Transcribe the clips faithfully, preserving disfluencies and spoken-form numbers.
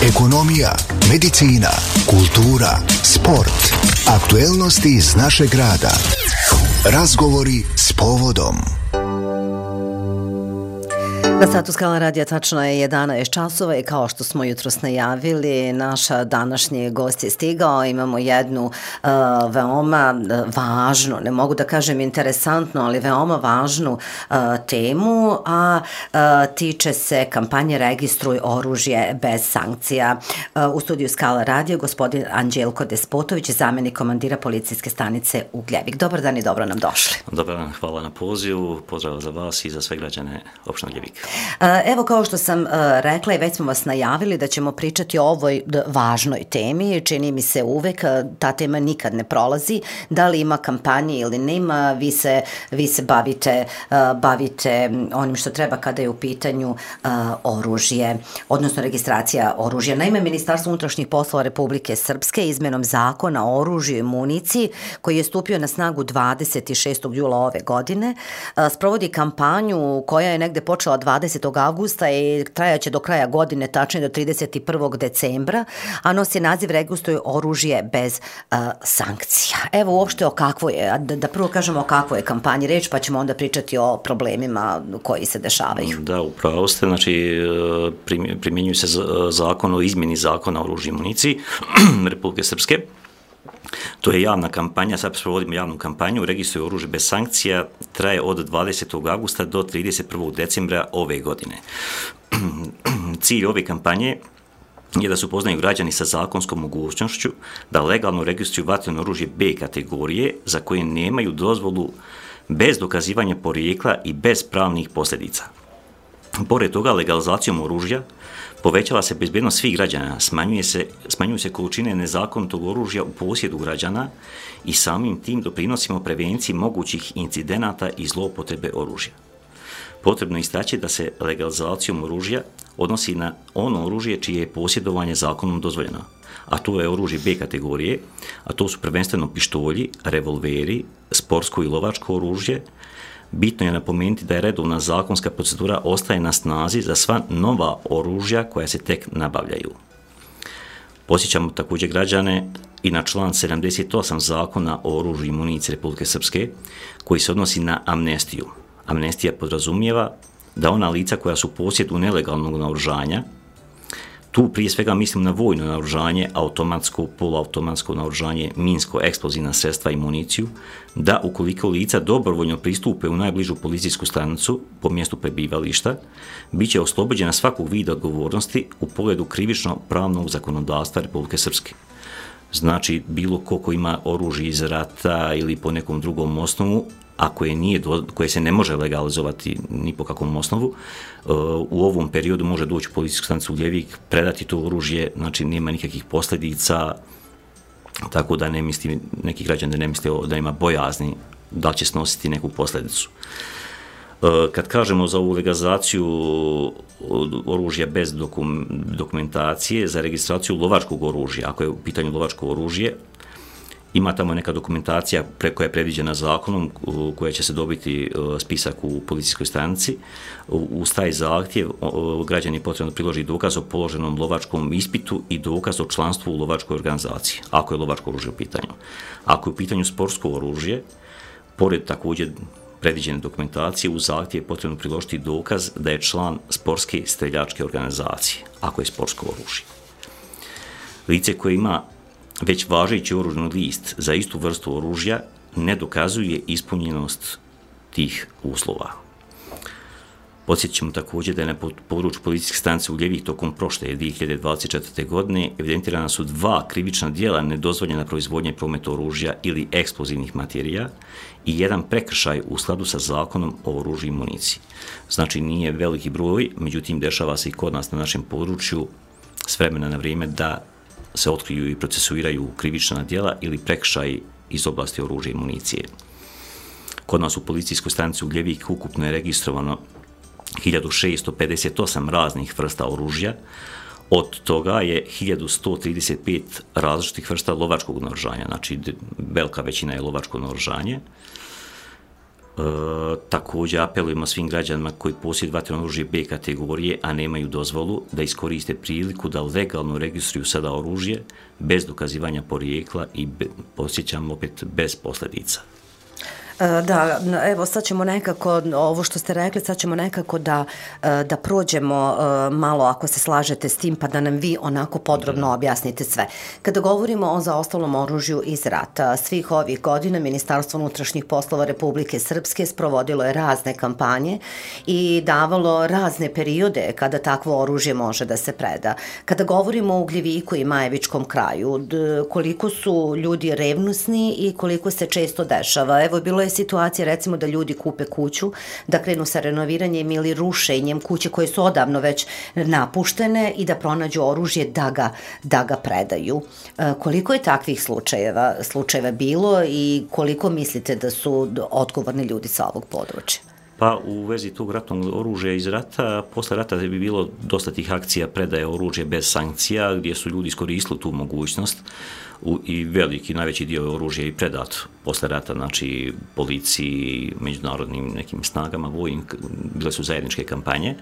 ekonomija, medicina, kultura, sport, aktuelnosti iz našeg grada. Razgovori s povodom. Na satu Skala radija tačno je jedanaest časova i kao što smo jutros najavili, naša današnji gost je stigao. Imamo jednu uh, veoma važnu, ne mogu da kažem interesantnu, ali veoma važnu uh, temu, a uh, tiče se kampanje Registruj oružje bez sankcija. Uh, u studiju Skala radija gospodin Anđelko Despotović, zamjenik komandira policijske stanice Ugljevik. Dobar dan i dobro nam došli. Dobar dan, hvala na pozivu, pozdrav za vas i za sve građane opštine Ugljevik. Evo, kao što sam rekla i već smo vas najavili da ćemo pričati o ovoj važnoj temi. Čini mi se uvek, ta tema nikad ne prolazi. Da li ima kampanje ili nema, vi se, vi se bavite, bavite onim što treba kada je u pitanju oružje, odnosno registracija oružja. Naime, Ministarstvo unutrašnjih poslova Republike Srpske izmenom zakona o oružju i municiji, koji je stupio na snagu dvadeset šestog jula ove godine, sprovodi kampanju koja je negde počela dvadesetog avgusta i trajaće do kraja godine, tačnije do trideset prvog decembra, a nosi naziv Registruj oružje bez uh, sankcija. Evo uopšte o kakvoj je, da, da prvo kažemo o kakvoj je kampanji reč, pa ćemo onda pričati o problemima koji se dešavaju. Da, upravo ste, znači primjenjuje se zakon o izmjeni zakona o oružju i municiji Republike Srpske. To je javna kampanja, sad provodimo javnu kampanju, Registruj oružje bez sankcija, traje od dvadesetog avgusta do trideset prvog decembra ove godine. Cilj ove kampanje je da se upoznaju građani sa zakonskom mogućnošću da legalno registruju vatreno oružje B kategorije za koje nemaju dozvolu bez dokazivanja porijekla i bez pravnih posljedica. Pored toga, legalizacijom oružja povećava se bezbednost svih građana, smanjuje se, smanjuju se količine nezakonitog oružja u posjedu građana i samim tim doprinosimo prevenciji mogućih incidenata i zloupotrebe oružja. Potrebno je istaći da se legalizacijom oružja odnosi na ono oružje čije je posjedovanje zakonom dozvoljeno, a to je oružje B kategorije, a to su prvenstveno pištolji, revolveri, sportsko i lovačko oružje. Bitno je napomenuti da je redovna zakonska procedura ostaje na snazi za sva nova oružja koja se tek nabavljaju. Podsjećamo također građane i na član sedamdeset osam zakona o oružju i municiji Republike Srpske, koji se odnosi na amnestiju. Amnestija podrazumijeva da ona lica koja su u posjedu nelegalnog naoružanja, tu prije svega mislim na vojno naoružanje, automatsko, poluautomatsko naoružanje, minsko, eksplozivna sredstva i municiju, da ukoliko lica dobrovoljno pristupe u najbližu policijsku stanicu po mjestu prebivališta, bit će oslobođena svakog vida odgovornosti u pogledu krivično-pravnog zakonodavstva Republike Srpske. Znači, bilo ko ko ima oružje iz rata ili po nekom drugom osnovu, a koje, nije, koje se ne može legalizovati ni po kakvom osnovu, u ovom periodu može doći u policijsku stanicu Ugljevik, predati to oružje, znači nema nikakvih posljedica, tako da ne misli, neki građani ne misle da ima bojazni da će snositi neku posljedicu. Kad kažemo za ovu legalizaciju oružja bez dokum, dokumentacije, za registraciju lovačkog oružja, ako je u pitanju lovačko oružje, ima tamo neka dokumentacija koja je predviđena zakonom, koja će se dobiti spisak u policijskoj stanici. Uz taj zahtjev građani potrebno priložiti dokaz o položenom lovačkom ispitu i dokaz o članstvu u lovačkoj organizaciji, ako je lovačko oružje u pitanju. Ako je u pitanju sportsko oružje, pored također predviđene dokumentacije, u zahtjev je potrebno priložiti dokaz da je član sportske streljačke organizacije, ako je sportsko oružje. Lice koje ima već važeći oružni list za istu vrstu oružja ne dokazuje ispunjenost tih uslova. Podsjetit ćemo također da je na području policijske stanice Ugljevik tokom prošle dvije hiljade dvadeset četvrte. godine evidentirana su dva krivična djela nedozvoljena proizvodnja i promet oružja ili eksplozivnih materija i jedan prekršaj u skladu sa zakonom o oružju i municiji. Znači nije veliki broj, međutim dešava se i kod nas na našem području s vremena na vrijeme da se otkriju i procesuiraju krivična djela ili prekršaj iz oblasti oružja i municije. Kod nas u policijskoj stanici Ugljevik ukupno je registrovano hiljadu šesto pedeset osam raznih vrsta oružja, od toga je hiljadu sto trideset pet različitih vrsta lovačkog naoružanja, znači velika većina je lovačko naoružanje. također apelujemo svim građanima koji posjeduju vatreno oružje B kategorije, a nemaju dozvolu, da iskoriste priliku da legalno registruju sada oružje bez dokazivanja porijekla i be, posjećam opet bez posljedica. Da, evo sad ćemo nekako, ovo što ste rekli, sad ćemo nekako da, da prođemo malo, ako se slažete s tim, pa da nam vi onako podrobno objasnite sve. Kada govorimo o zaostalom oružju iz rata, svih ovih godina Ministarstvo unutrašnjih poslova Republike Srpske sprovodilo je razne kampanje i davalo razne periode kada takvo oružje može da se preda. Kada govorimo o Ugljeviku i Majevičkom kraju, koliko su ljudi revnosni i koliko se često dešava. Evo, bilo je situacija recimo da ljudi kupe kuću, da krenu sa renoviranjem ili rušenjem kuće koje su odavno već napuštene i da pronađu oružje da ga, da ga predaju. E, koliko je takvih slučajeva, slučajeva bilo i koliko mislite da su odgovorni ljudi sa ovog područja? Pa u vezi tog ratnog oružja iz rata, posle rata bi bilo dosta tih akcija predaje oružje bez sankcija, gdje su ljudi iskoristili tu mogućnost u, i veliki, najveći dio oružja je i predat posle rata, znači policiji, međunarodnim nekim snagama, vojnim, bile su zajedničke kampanje.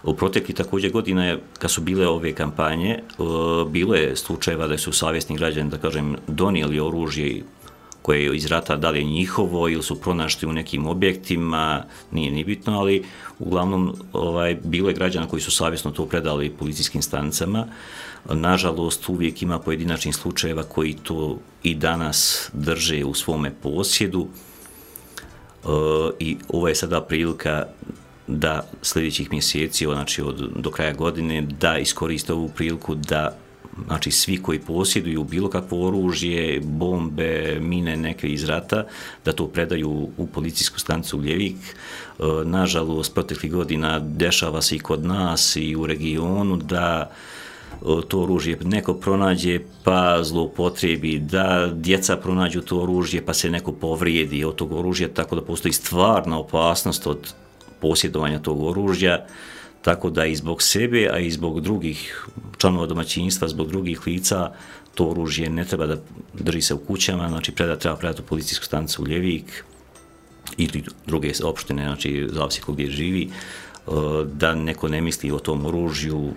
U protekli također godina je, kad su bile ove kampanje, bilo je slučajeva da su savjesni građani, da kažem, donijeli oružje koje je iz rata, da li je njihovo ili su pronašli u nekim objektima, nije ni bitno, ali uglavnom ovaj, bilo je građana koji su savjesno to predali policijskim stanicama. Nažalost, uvijek ima pojedinačnih slučajeva koji to i danas drže u svome posjedu e, i ovo je sada prilika da sljedećih mjeseci, znači od, do kraja godine, da iskoriste ovu priliku da, znači svi koji posjeduju bilo kakvo oružje, bombe, mine neke iz rata, da to predaju u policijsku stanicu Uljevik. E, nažalost, proteklih godina dešava se i kod nas i u regionu da to oružje neko pronađe pa zloupotrebi, da djeca pronađu to oružje pa se neko povrijedi od tog oružja, tako da postoji stvarna opasnost od posjedovanja tog oružja, tako da i zbog sebe, a i zbog drugih članova domaćinstva, zbog drugih lica, to oružje ne treba da drži se u kućama, znači predat, treba predati u policijsku stanicu Uljevik ili druge opštine, znači zavisi ko gdje živi, da neko ne misli o tom oružju,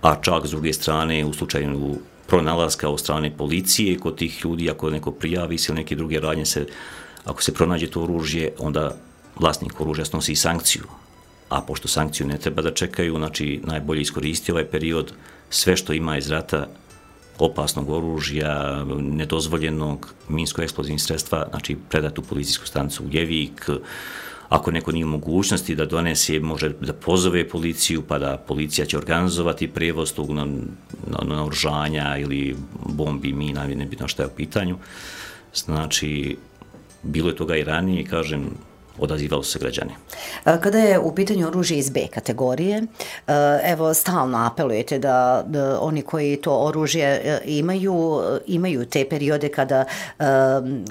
a čak s druge strane u slučaju pronalaska od strane policije kod tih ljudi, ako neko prijavi se ili neke druge radnje, se, ako se pronađe to oružje, onda vlasnik oružja snosi i sankciju. A pošto sankciju ne treba da čekaju, znači najbolje iskoristiti ovaj period, sve što ima iz rata, opasnog oružja, nedozvoljenog, minsko-eksplozivnih sredstva, znači predati u policijsku stanicu Uljevik. Ako neko nije u mogućnosti da donese, može da pozove policiju, pa da policija će organizovati prevoz tog naoružanja ili bombi, mina, ne bitno šta je u pitanju. Znači, bilo je toga i ranije, kažem, odazivalo se građani. Kada je u pitanju oružje iz B kategorije, evo stalno apelujete da, da oni koji to oružje imaju, imaju te periode kada,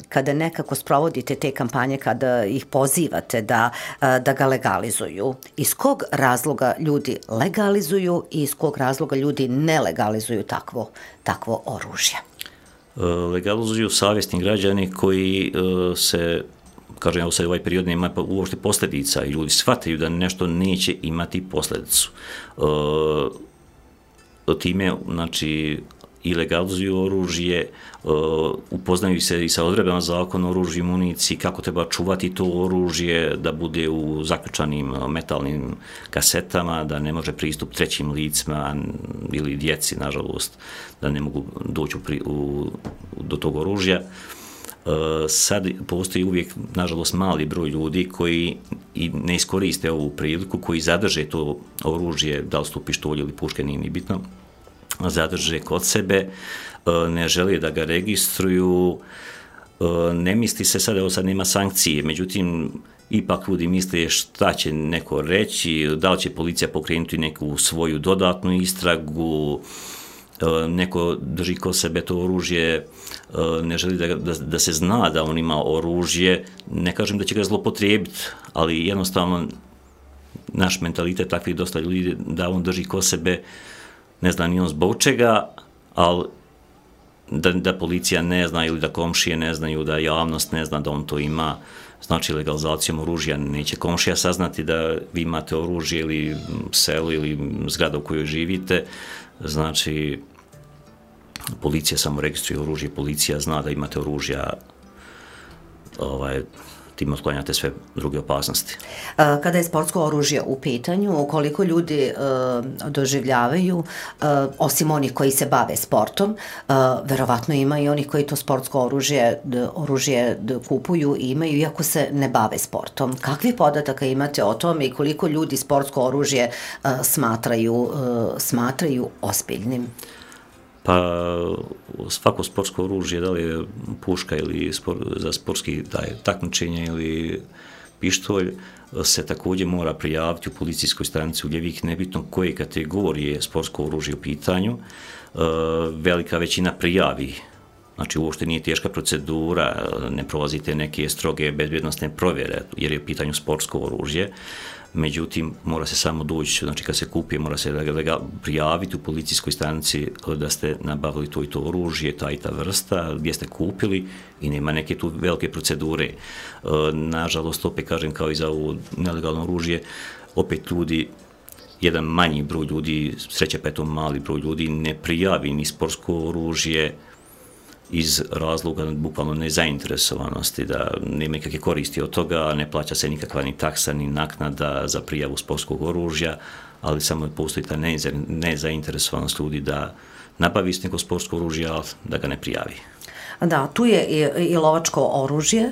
kada nekako sprovodite te kampanje, kada ih pozivate da, da ga legalizuju. Iz kog razloga ljudi legalizuju i iz kog razloga ljudi ne legalizuju takvo, takvo oružje? Legalizuju savjesni građani koji se, kažem, evo sad ovaj period nema uopšte posljedica i ljudi shvataju da nešto neće imati posljedicu. E, time, znači, i legalizuju oružje, e, upoznaju se i sa odredbama zakona o oružju i municiji, kako treba čuvati to oružje, da bude u zaključanim metalnim kasetama, da ne može pristup trećim licima ili djeci, nažalost, da ne mogu doći u, u, do tog oružja. Sad postoji uvijek, nažalost, mali broj ljudi koji i ne iskoriste ovu priliku, koji zadrže to oružje, da li su to pištolji ili puške, nije ni bitno, zadrže kod sebe, ne žele da ga registruju, ne misli se sad, evo sad nema sankcije, međutim, ipak ljudi misle šta će neko reći, da li će policija pokrenuti neku svoju dodatnu istragu, neko drži kod sebe to oružje, ne želi da, da, da se zna da on ima oružje, ne kažem da će ga zlopotrijebiti, ali jednostavno naš mentalitet takvih dosta ljudi da on drži kod sebe, ne znam ni on zbog čega, ali da, da policija ne zna ili da komšije ne znaju, da javnost ne zna da on to ima. Znači, legalizacijom oružja neće komšija saznati da vi imate oružje ili selo ili zgrada u kojoj živite. Znači, policija samo registruje oružje, policija zna da imate oružja, ovaj, tim otklanjate sve druge opasnosti. Kada je sportsko oružje u pitanju, koliko ljudi e, doživljavaju, e, osim onih koji se bave sportom, e, verovatno ima i onih koji to sportsko oružje, d, oružje d, kupuju i imaju, iako se ne bave sportom. Kakvi podataka imate o tome i koliko ljudi sportsko oružje e, smatraju, e, smatraju ozbiljnim? Pa svako sportsko oružje, da li je puška ili spor, za sportski takmičenje ili pištolj, se također mora prijaviti u policijskoj stanici Uljevik, nebitno koje kategorije sportsko oružje u pitanju. E, velika većina prijavi, znači uopšte nije teška procedura, ne prolazite neke stroge bezbjednosne provjere jer je u pitanju sportsko oružje. Međutim, mora se samo doći, znači kad se kupi, mora se prijaviti u policijskoj stanici da ste nabavili to i to oružje, ta i ta vrsta, gdje ste kupili i nema neke tu velike procedure. Nažalost, opet kažem, kao i za ovo nelegalno oružje, opet ljudi, jedan manji broj ljudi, sreće pa je to mali broj ljudi, ne prijavi ni sportsko oružje iz razloga bukvalno nezainteresovanosti, da nema nikakve koristi od toga, ne plaća se nikakva ni taksa, ni naknada za prijavu sportskog oružja, ali samo postoji ta nezainteresovanost ljudi da nabavi neko sportsko oružje, ali da ga ne prijavi. Da, tu je i, i lovačko oružje,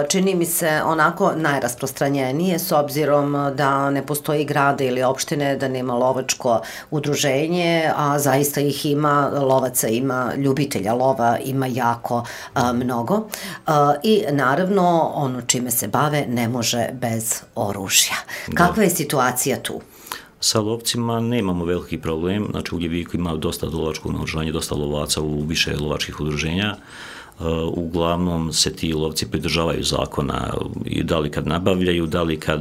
čini mi se onako najrasprostranjenije s obzirom da ne postoji grada ili opštine da nema lovačko udruženje, a zaista ih ima, lovaca ima, ljubitelja lova ima jako a, mnogo i naravno ono čime se bave ne može bez oružja. Kakva je situacija tu? Sa lovcima nemamo veliki problem, znači u Ljeviku ima dosta lovačkog naoružanja, dosta lovaca u više lovačkih udruženja. Uh, uglavnom se ti lovci pridržavaju zakona i da li kad nabavljaju, da li kad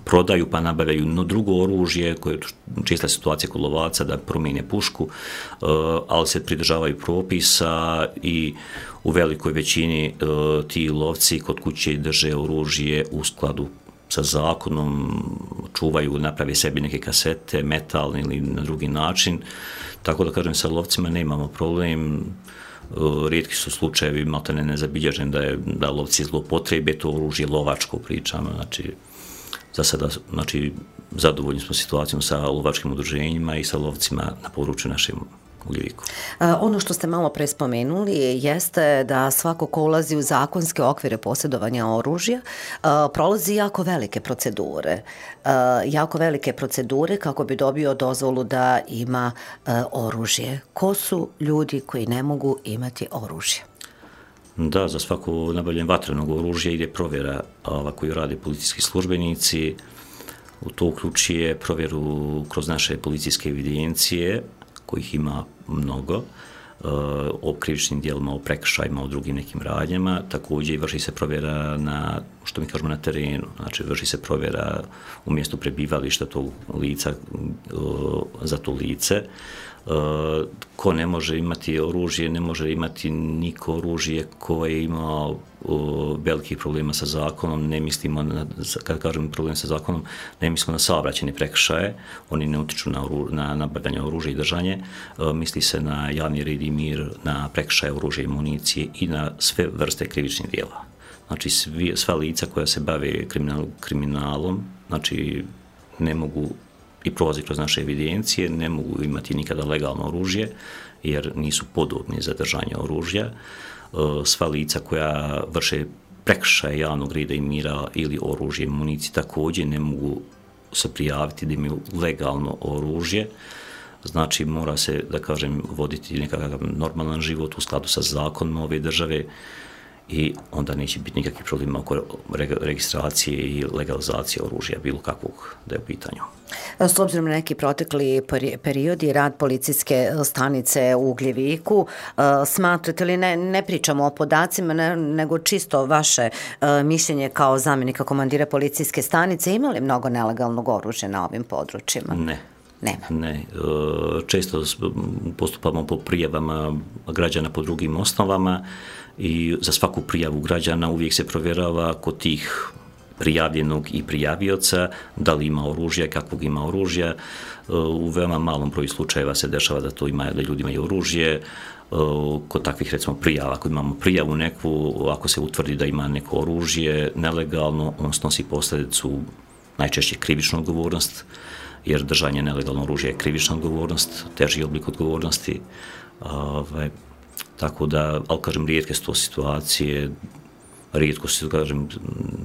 prodaju pa nabavljaju no drugo oružje, koje je čista situacija kod lovaca da promijene pušku, uh, ali se pridržavaju propisa i u velikoj većini uh, ti lovci kod kuće drže oružje u skladu sa zakonom, čuvaju, naprave sebi neke kasete, metalne ili na drugi način. Tako da kažem, sa lovcima nemamo problem. Rijetki su slučajevi, maltene nezabilježen da je da lovci zloupotrebe to oružje, lovačko pričamo. Znači, za sada, znači, zadovoljni smo situacijom sa lovačkim udruženjima i sa lovcima na području našem Ljeviku. Ono što ste malo pre spomenuli jeste da svako ko ulazi u zakonske okvire posjedovanja oružja prolazi jako velike procedure. Jako velike procedure kako bi dobio dozvolu da ima oružje. Ko su ljudi koji ne mogu imati oružje? Da, za svako nabavljanje vatrenog oružja ide provjera ova, koju rade policijski službenici. U to uključuje provjeru kroz naše policijske evidencije, kojih ima mnogo, o krivičnim dijelima, o prekršajima, o drugim nekim radnjama. Također vrši se provjera na, što mi kažemo, na terenu. Znači, vrši se provjera u mjestu prebivališta tog lica, za to lice. Ko ne može imati oružje, ne može imati niko oružje ko je imao velikih problema sa zakonom, ne mislimo, na, kad kažem problem sa zakonom, ne mislimo na saobraćajne prekršaje, oni ne utiču na, na nabavljanje oružja i držanje, misli se na javni red i mir, na prekršaje oružja i municije i na sve vrste krivičnih djela. Znači, svi, sva lica koja se bave kriminal, kriminalom, znači, ne mogu i prolazi kroz naše evidencije, ne mogu imati nikada legalno oružje, jer nisu podobni za držanje oružja. Sva lica koja vrše prekršaje javnog reda i mira ili oružje i municije također ne mogu se prijaviti da imaju legalno oružje. Znači, mora se, da kažem, voditi nekakav normalan život u skladu sa zakonom ove države i onda neće biti nikakvih problema oko registracije i legalizacije oružja, bilo kakvog da je u pitanju. S obzirom na neki protekli period i rad policijske stanice u Ugljeviku, smatrate li, ne, ne pričamo o podacima, ne, nego čisto vaše mišljenje kao zamjenika komandira policijske stanice, ima li mnogo nelegalnog oružja na ovim područjima? Ne. Nema. Ne, često postupamo po prijavama građana po drugim osnovama i za svaku prijavu građana uvijek se provjerava kod tih prijavljenog i prijavioca da li ima oružja, kakvog ima oružja. U veoma malom broju slučajeva se dešava da to ima, da ljudi imaju oružje. Kod takvih, recimo, prijava, ako imamo prijavu neku, ako se utvrdi da ima neko oružje nelegalno, on snosi posljedicu najčešće krivičnu odgovornost, jer držanje nelegalno oružja je krivična odgovornost, teži oblik odgovornosti. Ove, tako da, ali kažem, rijetke su to situacije, rijetko se, kažem,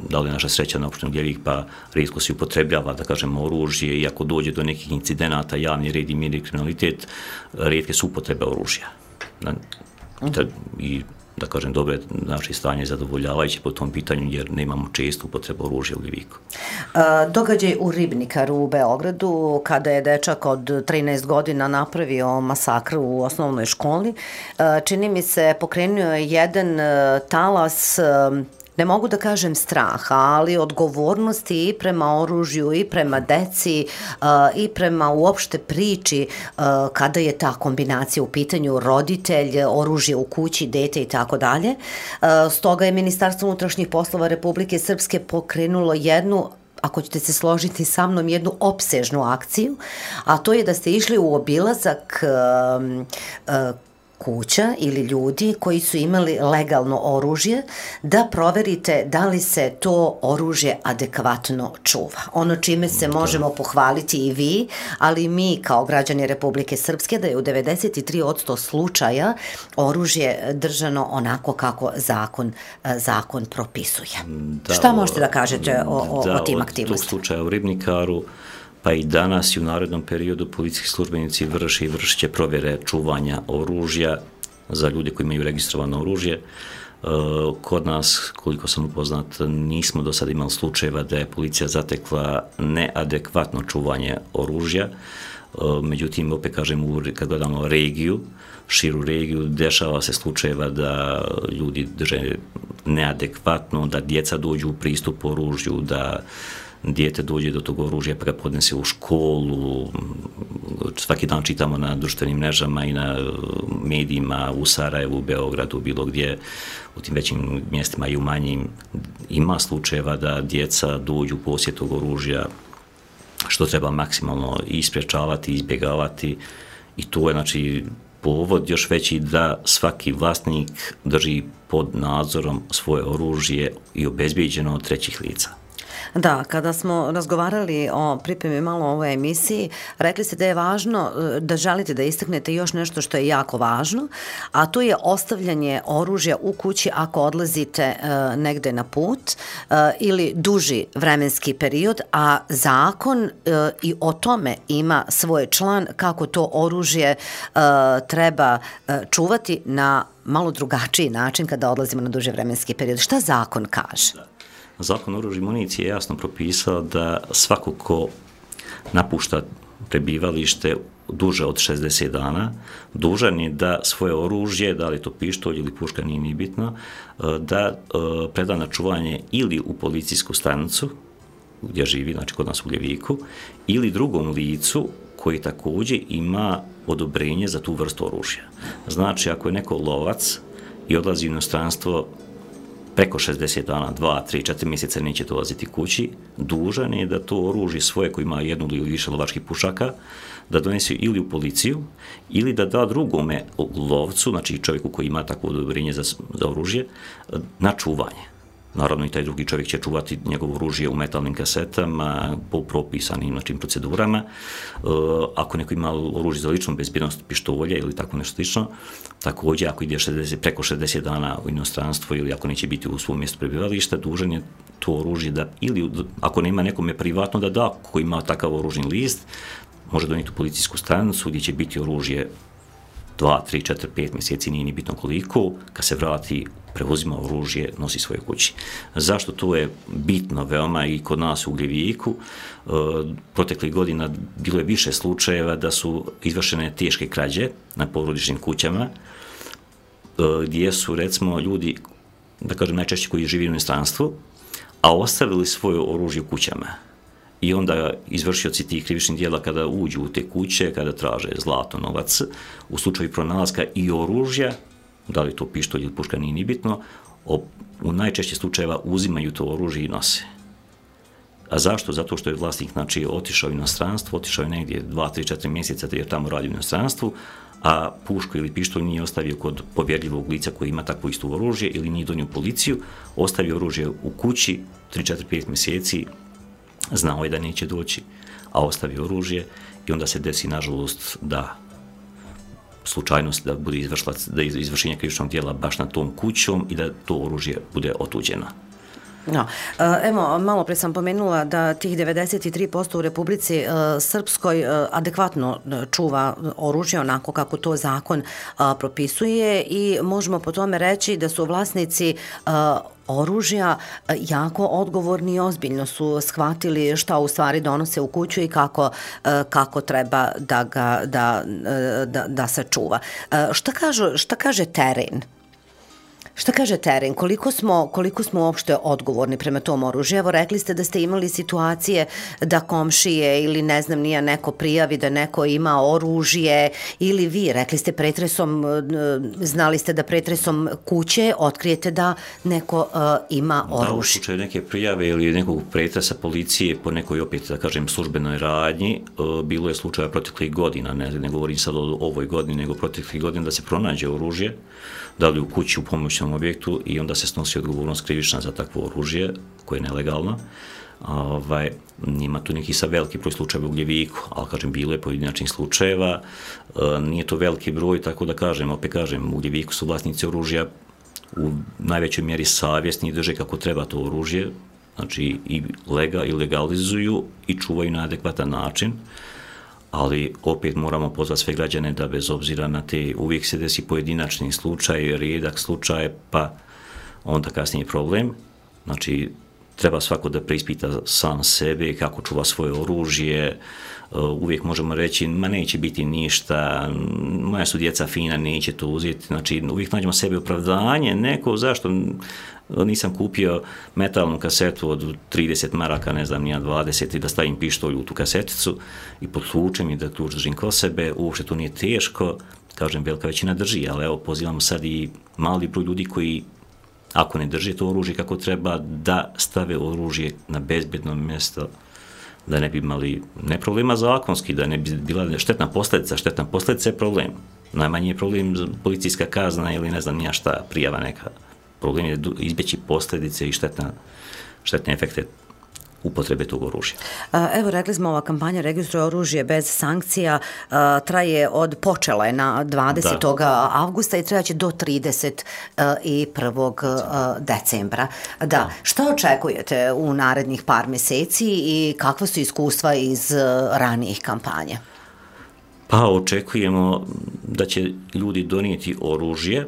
da li je naša sreća na opštini Ugljevik, pa rijetko se upotrebljava, da kažem, oružje, i ako dođe do nekih incidenata, javni red i mir i kriminalitet, rijetke su upotrebe oružja. I, da kažem, dobro je naše stanje zadovoljavajuće po tom pitanju, jer nemamo često upotrebu oružja u Ugljeviku. Događaj u Ribnikaru u Beogradu, kada je dečak od trinaest godina napravio masakr u osnovnoj školi, čini mi se pokrenuo je jedan talas, ne mogu da kažem straha, ali odgovornosti i prema oružju, i prema deci, i prema uopšte priči kada je ta kombinacija u pitanju, roditelj, oružje u kući, dete i tako dalje. Stoga je Ministarstvo unutrašnjih poslova Republike Srpske pokrenulo jednu, ako ćete se složiti sa mnom, jednu opsežnu akciju, a to je da ste išli u obilazak kuća ili ljudi koji su imali legalno oružje, da proverite da li se to oružje adekvatno čuva. Ono čime se možemo pohvaliti i vi, ali i mi kao građani Republike Srpske, da je u devedeset tri posto slučaja oružje držano onako kako zakon, zakon propisuje. Da, Šta možete da kažete o, o, da, o tim aktivnostima? Od tog slučaja u Ribnikaru, pa i danas i u narednom periodu policijski službenici vrše i vršit će provjere čuvanja oružja za ljude koji imaju registrovano oružje. Kod nas, koliko sam upoznat, nismo do sada imali slučajeva da je policija zatekla neadekvatno čuvanje oružja. Međutim, opet kažem, kad gledamo regiju, širu regiju, dešava se slučajeva da ljudi drže neadekvatno, da djeca dođu u pristup oružju, da dijete dođe do tog oružja pa ga podnese u školu. Svaki dan čitamo na društvenim mrežama i na medijima u Sarajevu, u Beogradu, bilo gdje, u tim većim mjestima i u manjim, ima slučajeva da djeca dođu u posjed tog oružja, što treba maksimalno isprečavati, izbjegavati, i to je, znači, povod još veći da svaki vlasnik drži pod nadzorom svoje oružje i obezbijeđeno od trećih lica. Da, kada smo razgovarali o pripremi malo o ovoj emisiji, rekli ste da je važno, da želite da istaknete još nešto što je jako važno, a to je ostavljanje oružja u kući ako odlazite uh, negde na put uh, ili duži vremenski period, a zakon uh, i o tome ima svoj član kako to oružje uh, treba uh, čuvati na malo drugačiji način kada odlazimo na duži vremenski period. Šta zakon kaže? Zakon o oružju i municiji je jasno propisao da svako ko napušta prebivalište duže od šezdeset dana, dužan je da svoje oružje, da li je to pištolj ili puška, nije ni bitno, da preda na čuvanje ili u policijsku stanicu gdje živi, znači kod nas u Ugljeviku, ili drugom licu koji također ima odobrenje za tu vrstu oružja. Znači, ako je neko lovac i odlazi u inostranstvo preko šezdeset dana, dva, tri, četiri mjeseca neće dolaziti kući, dužan je da to oružje svoje, koji ima jednu ili više lovačkih pušaka, da donese ili u policiju, ili da da drugome lovcu, znači čovjeku koji ima takvo odobrenje za, za oružje, na čuvanje. Naravno, i taj drugi čovjek će čuvati njegovo oružje u metalnim kasetama po propisanim, znači, procedurama. E, ako neko ima oružje za ličnu bezbjednost, pištolja ili tako nešto slično, također ako ide šezdeset, preko šezdeset dana u inostranstvo ili ako neće biti u svom mjestu prebivališta, dužan je to oružje da, ili ako nema nekome privatno da da, ko ima takav oružni list, može donijeti u policijsku stanicu gdje će biti oružje dva, tri, četiri, pet mjeseci, nije ni bitno koliko, kad se vrati, preuzima oružje, nosi svoje kući. Zašto to je bitno veoma i kod nas u Ugljeviku? E, proteklih godina bilo je više slučajeva da su izvršene teške krađe na porodičnim kućama, e, gdje su, recimo, ljudi, da kažem najčešće koji živi u inostranstvu, a ostavili svoje oružje u kućama. i onda izvršioci tih krivičnih djela kada uđu u te kuće, kada traže zlato, novac, u slučaju pronalaska i oružja, da li to pištolj ili puška, nije ni bitno, u najčešće slučajeva uzimaju to oružje i nose. A zašto? Zato što je vlasnik, znači, otišao u inostranstvo, otišao je negdje dva, tri, četiri mjeseca jer tamo radi u inostranstvu, a pušku ili pištolj nije ostavio kod povjerljivog lica koji ima takvo isto oružje ili nije donio policiju, ostavio oružje u kući tri, četiri, pet mjeseci, znao je da neće doći, a ostavio oružje i onda se desi, nažalost, da slučajnost da bude izvršilac, da izvršenje krivičnog djela baš na tom kućom i da to oružje bude otuđeno. No, evo, malo pre sam pomenula da tih devedeset tri posto u Republici Srpskoj adekvatno čuva oružje onako kako to zakon propisuje i možemo po tome reći da su vlasnici oružja jako odgovorni i ozbiljno su shvatili šta u stvari donose u kuću i kako, kako treba da ga da, da, da se čuva. Šta, kažu, šta kaže teren? Šta kaže teren? Koliko smo, koliko smo uopšte odgovorni prema tom oružju? Evo, rekli ste da ste imali situacije da komšije ili ne znam nije neko prijavi da neko ima oružje ili vi, rekli ste pretresom, znali ste da pretresom kuće otkrijete da neko uh, ima oružje. Da, u slučaju neke prijave ili nekog pretresa policije po nekoj, opet da kažem, službenoj radnji, uh, bilo je slučaja proteklih godina, ne, ne govorim sad o ovoj godini, nego proteklih godina da se pronađe oružje, da li u kući, u pomoćnom objektu i onda se snosi odgovornost krivična za takvo oružje koje je nelegalno. Ovaj, nima tu neki sa veliki broj slučajeva u Gljeviku, ali kažem, bilo je pojedinačnih slučajeva, e, nije to veliki broj, tako da kažem, opet kažem, u Gljeviku su vlasnici oružja u najvećoj mjeri savjesni i drže kako treba to oružje, znači i lega i legalizuju i čuvaju na adekvatan način. Ali opet moramo pozvati sve građane da bez obzira na te, uvijek se desi pojedinačni slučaj, rijedak slučaj, pa onda kasnije problem. Znači, treba svako da preispita sam sebe, kako čuva svoje oružje, uvijek možemo reći, ma neće biti ništa, moja su djeca fina, neće to uzeti, znači uvijek nađemo sebe opravdanje, neko, zašto nisam kupio metalnu kasetu od trideset maraka, ne znam, nija dvadeset i da stavim pištolj u tu kaseticu i potlučem i da ključ držim ko sebe, uopšte to nije teško, kažem, velika većina drži, ali evo, pozivamo sad i mali broj ljudi koji, ako ne drže to oružje kako treba, da stave oružje na bezbedno mjesto, da ne bi imali ne problema zakonski, da ne bi bila štetna posljedica, štetna posljedica je problem. Najmanji je problem policijska kazna ili ne znam nija šta, prijava neka. Problem je izbjeći posljedice i štetna, štetne efekte upotrebe tog oružja. Evo, rekli smo, ova kampanja Registruj oružje bez sankcija traje od, počela je na dvadesetog avgusta i trajaće do trideset prvog decembra. Da. Šta očekujete u narednih par mjeseci i kakva su iskustva iz ranijih kampanja? Pa očekujemo da će ljudi donijeti oružje.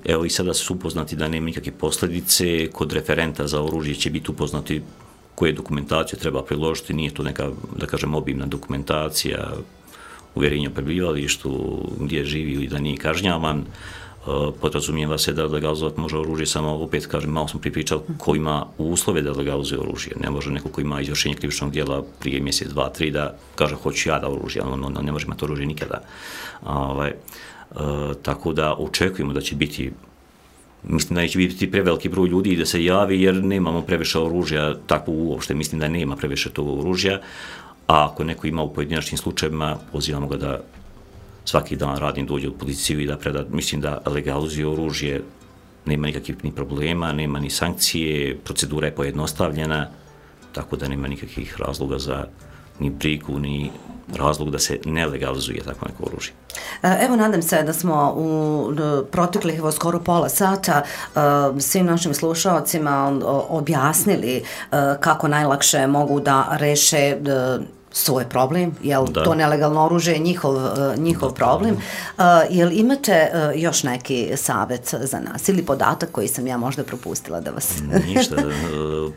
Evo i sada su upoznati da nema nikakve posljedice, kod referenta za oružje će biti upoznati koje dokumentacije treba priložiti, nije to neka, da kažem, obimna dokumentacija, uvjerenje o prebivalištu, gdje živi ili da nije kažnjavan, podrazumijeva se da legalizovati može oružje, samo opet kažem, malo smo pripričali ko ima uslove da legalizuje oružje, ne može neko ko ima izvršenje krivičnog djela prije mjesec, dva, tri da kaže hoću ja da oružje, on, on ne može imati oružje nikada. Ovaj, Uh, tako da očekujemo da će biti, mislim da neće biti preveliki broj ljudi da se javi jer nemamo previše oružja, tako uopšte mislim da nema previše tog oružja, a ako neko ima u pojedinačnim slučajevima, pozivamo ga da svaki dan radim dođe u policiju i da preda, mislim da legalizuje oružje, nema nikakvih ni problema, nema ni sankcije, procedura je pojednostavljena, tako da nema nikakvih razloga za ni brigu, ni razlog da se ne legalizuje tako neko oružje. Evo, nadam se da smo u proteklih evo, skoro pola sata svim našim slušalcima objasnili kako najlakše mogu da reše svoj problem, jel da. To nelegalno oružje je njihov, njihov da, problem. Uh, jel imate uh, još neki savjet za nas ili podatak koji sam ja možda propustila da vas... Ništa,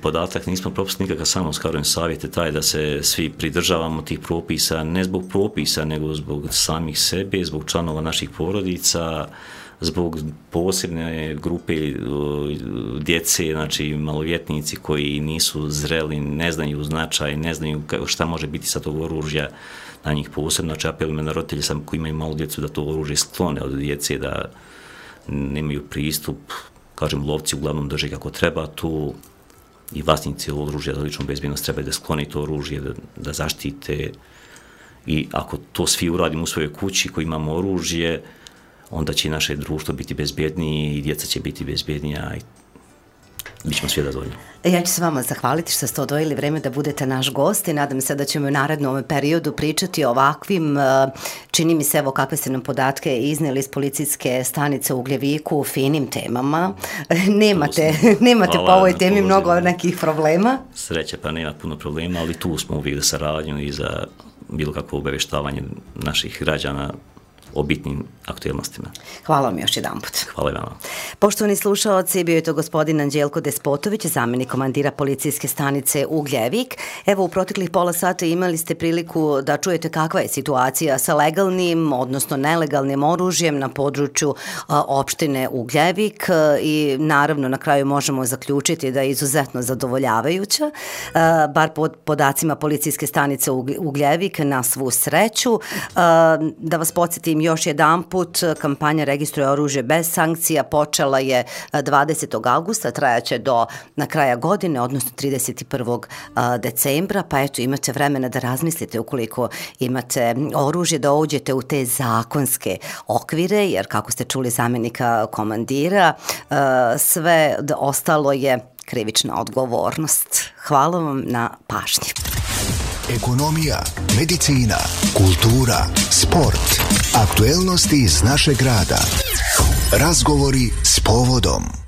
podatak nismo propustili nikakav, samo skarujem savjet je taj da se svi pridržavamo tih propisa, ne zbog propisa, nego zbog samih sebe, zbog članova naših porodica, zbog posebne grupe djece, znači maloljetnici koji nisu zreli, ne znaju značaj, ne znaju šta može biti sa tog oružja, na njih posebno. Znači apelujem na roditelje sam koji imaju malu djecu da to oružje sklone od djece, da nemaju pristup, kažem, lovci uglavnom drže kako treba tu i vlasnici oružja za ličnu bezbjednost treba da skloni to oružje, da, da zaštite. I ako to svi uradimo u svojoj kući koji imamo oružje, onda će naše društvo biti bezbjednije i djeca će biti bezbjednija i bit ćemo svi zadovoljni. Ja ću se vama zahvaliti što ste odvojili vreme da budete naš gost i nadam se da ćemo u narednom periodu pričati o ovakvim, čini mi se, evo kakve ste nam podatke iznijeli iz policijske stanice u Ugljeviku, finim temama. Nemate, nemate po ovoj temi mnogo nekih problema. Sreće, pa nema puno problema, ali tu smo uvijek za saradnju i za bilo kakvo obavještavanje naših građana o bitnim aktualnostima. Hvala vam još jedan put. Hvala vam. Poštovani slušaoci, bio je to gospodin Anđelko Despotović, zamjenik komandira policijske stanice Ugljevik. Evo, u proteklih pola sata imali ste priliku da čujete kakva je situacija sa legalnim, odnosno nelegalnim oružjem na području a, opštine Ugljevik i naravno na kraju možemo zaključiti da je izuzetno zadovoljavajuća, a, bar pod podacima policijske stanice Ugljevik, na svu sreću. A, da vas podsjetim još jedan put, kampanja Registruj oružje bez sankcija počela je dvadesetog avgusta, trajaće do na kraja godine, odnosno trideset prvog decembra, pa eto imate vremena da razmislite ukoliko imate oružje, da uđete u te zakonske okvire, jer kako ste čuli zamjenika komandira, sve ostalo je krivična odgovornost. Hvala vam na pažnji. Ekonomija, medicina, kultura, sport, aktuelnosti iz našeg grada. Razgovori s povodom.